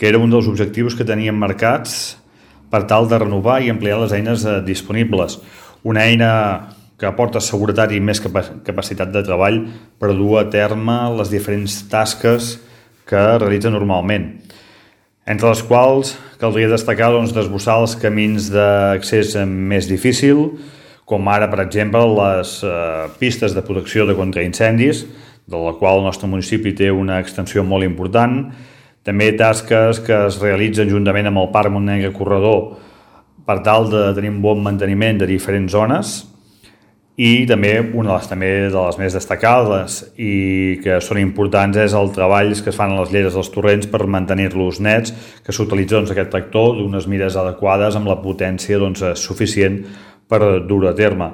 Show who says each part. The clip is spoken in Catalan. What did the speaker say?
Speaker 1: que era un dels objectius que teníem marcats per tal de renovar i ampliar les eines disponibles. Una eina que aporta seguretat i més capacitat de treball per dur a terme les diferents tasques que realitza normalment, entre les quals caldria destacar desbrossar els camins d'accés més difícil, com ara, per exemple, les pistes de protecció de contraincendis, de la qual el nostre municipi té una extensió molt important. També tasques que es realitzen juntament amb el Parc Montnegre Corredor per tal de tenir un bon manteniment de diferents zones, i també una de les més destacades i que són importants és el treball que es fan a les lleres dels torrents per mantenir-los nets, que s'utilitza aquest tractor d'unes mides adequades amb la potència suficient per dur a terme.